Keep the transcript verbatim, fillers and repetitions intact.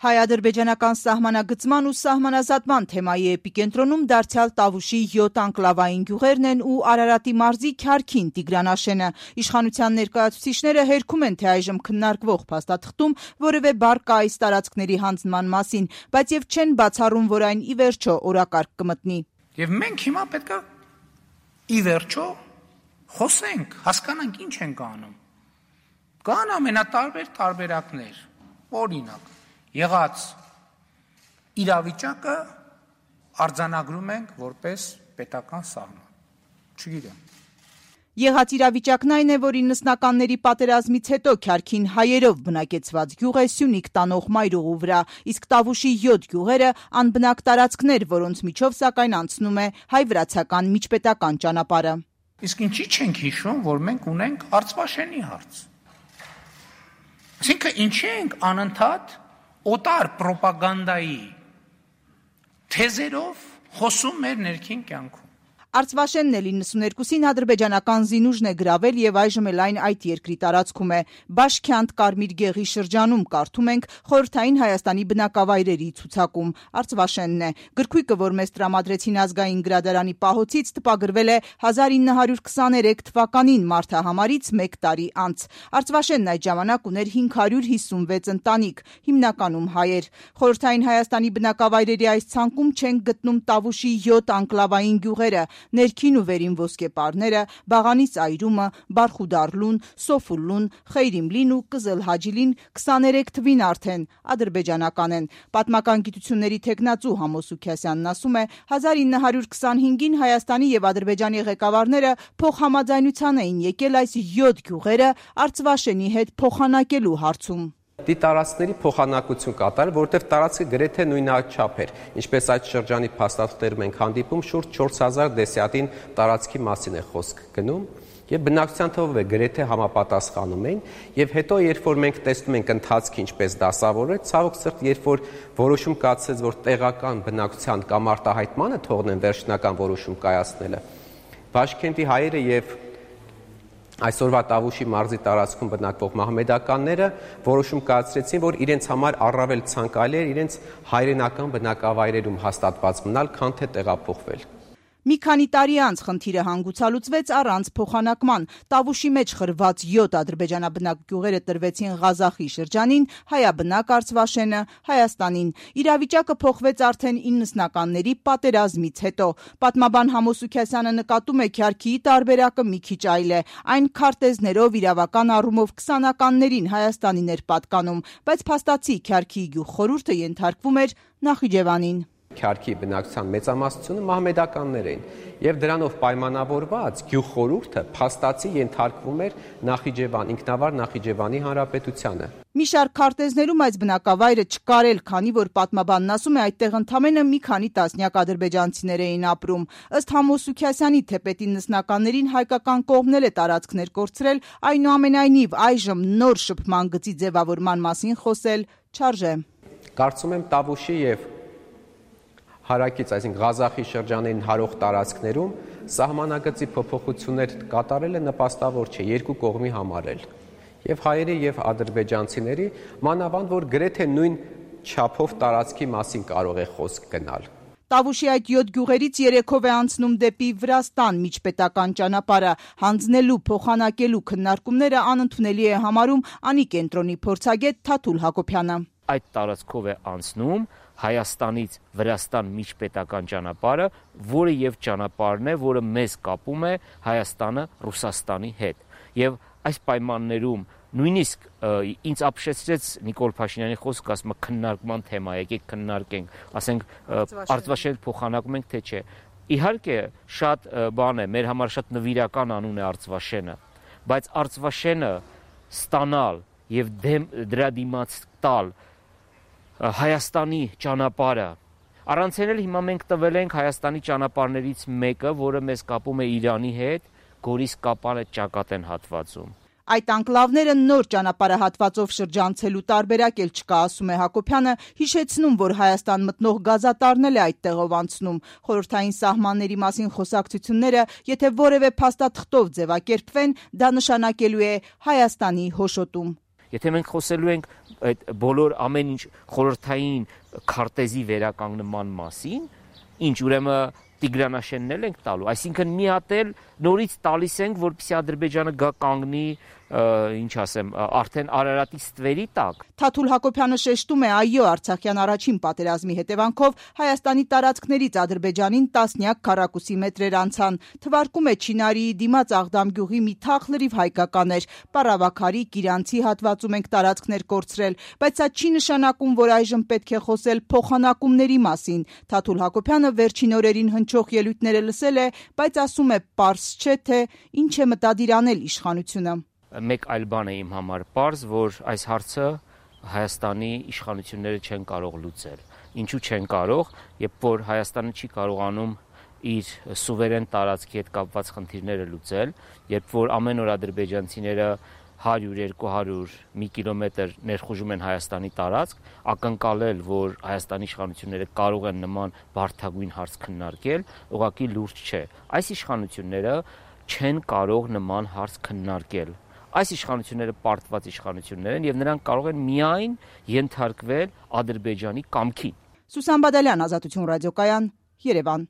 Հայ-ադրբեջանական սահմանագծման ու սահմանազատման թեմայի էպիկենտրոնում դարձյալ Տավուշի յոթ անկլավային գյուղերն են ու Արարատի մարզի Քյարքին Տիգրանաշենը։ Իշխանության ներկայացուցիչները հերքում են, թե այժմ քննարկվող փաստաթղթում որևէ բառ կա այս տարածքների հանձնման մասին, բայց եւ չեն բացառում, որ այն ի վերջո օրակարգ կմտնի։ Եվ մենք հիմա պետք է ի վերջո խոսենք, հասկանանք ինչ ենք անում։ Կան ամենատարբեր տարբերակներ, օրինակ եղած իրավիճակը արձանագրում ենք որպես պետական սահման։ Չգիտեմ։ Եղած իրավիճակն այն է, որ իննսնականների պատերազմից հետո Քյարքին հայերով բնակեցված գյուղ է Սյունիք տանող մայրուղու վրա, իսկ Տավուշի յոթ գյուղերը անբնակ տարածքներ, որոնց միջով սակայն անցնում է հայ-վրացական միջպետական ճանապարհը։ Իսկ ինչի չենք հիշում, որ մենք ունենք Արցվաշենի հարց։ Այսինքն ինչի ենք անընդհատ օտար պրոպագանդայի թեզերով խոսում մեր ներքին կյանքում։ Արցվաշենն էլ իննսուներկուսին ադրբեջանական զինուժն է գրավել եւ այժմ էլ այն այդ երկրի տարածքում է։ Բաշքյանտ Կարմիր գեղի շրջանում կարդում ենք խորհրդային Հայաստանի բնակավայրերի ցուցակում։ Արցվաշենն է։ Գրքույկը, որ մեզ տրամադրեցին ազգային գրադարանի պահոցից, տպագրվել է հազար ինը հարյուր քսաներեք թվականին մարտահամարից մեկ տարի անց։ Արցվաշենն այդ ժամանակ ուներ հինգ հարյուր հիսունվեց ընտանիք, հիմնականում հայեր։ Խորհրդային Հայաստանի բնակավայրերի այս ցանկում չեն գտնում Տավուշի յոթ անկլավային գյուղերը, ներքին ու վերին ոսկեպարները, Բաղանի ծայրումը, Բարխուդարլուն, Սոֆուլլուն, Խեյրիմլին ու Կզելհաջիլին քսաներեք թվին արդեն ադրբեջանական են։ Պատմական գիտությունների թեկնածու Համոս Սուքիասյանն ասում է, հազար ինը հարյուր քսանհինգին Հայաստանի եւ Ադրբեջանի ղեկավարները փոխհամաձայնության էին եկել այս յոթ գյուղերը Արցվաշենի հետ փոխանակելու հարցում։ Դի տարածքների փոխանակություն կատարել, որովհետև տարածքը գրեթե նույնաչափ էր, ինչպես այդ շրջանի փաստաթղթերում ենք հանդիպում, շուրջ չորս հազար դեսյատին տարածքի մասին է խոսք գնում, եւ բնակչության թվով է գրեթե համապատասխանում էին, եւ հետո երբ որ մենք տեսնում ենք ընթացքը ինչպես դասավորել, ցավոք սրտ, երբ որ որոշում կայացրեց, որ տեղական բնակչության կամ արտահայտմանը թողնեն վերջնական որոշում կայացնելը, Բաշքենտի հայերը եւ այսօրվա Տավուշի մարզի տարածքում բնակվող մահմեդականները որոշում կայացրեցին, որ իրենց համար առավել ցանկալի է իրենց հայրենական բնակավայրերում հաստատված մնալ, քան թե տեղափոխվել։ Մի քանի տարի անց խնդիրը հանգուցալուծվեց առանց փոխանակման։ Տավուշի մեջ խրված յոթ ադրբեջանաբնակ գյուղերը տրվեցին Ղազախի շրջանին, հայաբնակ Արցվաշենը Հայաստանին։ Իրավիճակը փոխվեց արդեն իննսնականների պատերազմից հետո։ Պատմաբան Համոս Սուքիասյանը նկատում է Քյարքիի տարբերակը մի քիչ այլ է։ Այն քարտեզներով իրավական առումով քսանականներին Հայաստանին էր պատկանում, բայց փաստացի Քյարքիի գյուղ խորհուրդը ենթարկվում էր Նախիջևանին։ Քյարքի բնակչության մեծամասնությունը մահմեդականներ էին եւ դրանով պայմանավորված գյուղ խորհուրդը փաստացի ենթարկվում էր Նախիջևան, ինքնավար Նախիջևանի հանրապետությանը։ Մի շարք քարտեզներում այս բնակավայրը չկար էլ, քանի որ պատմաբանն ասում է, այդտեղ ընդամենը մի քանի տասնյակ ադրբեջանցիներ էին ապրում։ Ըստ Համոս Սուքիասյանի, թեպետ իննսնականներին հայկական կողմն էլ է տարածքներ կորցրել, այնուամենայնիվ այժմ նոր շփման գծի ձևավորման մասին խոսել չարժե։ Կարծում եմ Տավուշի եւ հարակից, այսինքն Ղազախի շրջանային հարող տարածքներում սահմանագծի փոփոխություններ կատարելը նպաստավոր չէ երկու կողմի համար էլ։ Եվ հայերի եւ ադրբեջանցիների, մանավանդ որ գրեթե նույն չափով տարածքի մասին կարող է խոսք գնալ։ Տավուշի այդ յոթ գյուղերից երեքով է անցնում դեպի Վրաստան միջպետական ճանապարհը, հանձնելու, փոխանակելու քննարկումները անընդունելի է համարում Անի կենտրոնի փորձագետ Թաթուլ Հակոբյանը։ Այդ տարածքով է անցնում Հայաստանից Վրաստան միջպետական ճանապարհը, որը եւ ճանապարհն է, որը մեզ կապում է Հայաստանը Ռուսաստանի հետ։ Եվ այս պայմաններում նույնիսկ ինձ ապշեցրեց Նիկոլ Փաշինյանի խոսքը, ասում է քննարկման թեմա, եկեք քննարկենք, ասենք Արցվաշեն փոխանակում ենք թե չէ։ Իհարկե շատ բան է, մեր համար շատ նվիրական անուն է Արցվաշենը, բայց Արցվաշենը ստանալ եւ դրա դիմաց տալ Հայաստանի ճանապարհը առանցել հիմա մենք տվել ենք Հայաստանի ճանապարհներից մեկը, որը մեզ կապում է Իրանի հետ, Գորիս-Կապանը ճակատեն հատվածում։ Այդ անկլավները նոր ճանապարհահատվածով շրջանցելու տարբերակ էլ չկա, ասում է Հակոբյանը, հիշեցնում, որ Հայաստան մտնող գազատարն էլ է այդտեղով անցնում։ Խորհրդային սահմանների մասին խոսակցությունները, եթե որևէ փաստաթղթով ձևակերպվեն, դա նշանակելու է Հայաստանի հոշոտում։ Եթե մենք խոսելու ենք այդ բոլոր ամեն ինչ խորհրդային քարտեզի վերականգնման մասին, ինչ ուրեմն Տիգրանաշենն էլ ենք տալու, այսինքն մի հատ էլ նորից տալիս ենք, որպեսզի Ադրբեջանը գա կանգնի, ինչ ասեմ, արդեն Արարատի ստվերի տակ։ Թաթուլ Հակոբյանը շեշտում է, այո, Արցախյան առաջին պատերազմի հետևանքով Հայաստանի տարածքներից Ադրբեջանին տասնյակ քառակուսի մետրեր անցան։ Թվարկում է Չինարիի դիմաց Աղդամ գյուղի մի թաղ լրիվ հայկական էր, Պարավաքարի, Կիրանցի հատվածում ենք տարածքներ կորցրել, բայց սա չի նշանակում, որ այժմ պետք է խոսել փոխանակումների մասին։ Թաթուլ Հակոբյանը վերջին օրերին հնչող ելույթները լսել է, բայց ասում է, պարզ չէ, թե ինչ է մտադիր անել իշխանությունը։ Մեկ այլ բան է իմ համար պարզ, որ այս հարցը Հայաստանի իշխանությունները չեն կարող լուծել։ Ինչու չեն կարող, երբ որ Հայաստանը չի կարողանում իր սուվերեն տարածքի հետ կապված խնդիրները լուծել, երբ որ ամեն օր ադրբեջանցիները հարյուր երկու հարյուր մի կիլոմետր ներխուժում են Հայաստանի տարածք, ակնկալել, որ Հայաստանի իշխանությունները կարող են նման բարդագույն հարց քննարկել, ուղղակի լուրջ չէ։ Այս իշխանությունները չեն կարող նման հարց քննարկել։ Այս իշխանությունները պարտված իշխանություններ են եւ նրանք կարող են միայն ենթարկվել Ադրբեջանի կամքին։ Սուսան Բադալյան, Ազատություն ռադիոկայան, Երևան։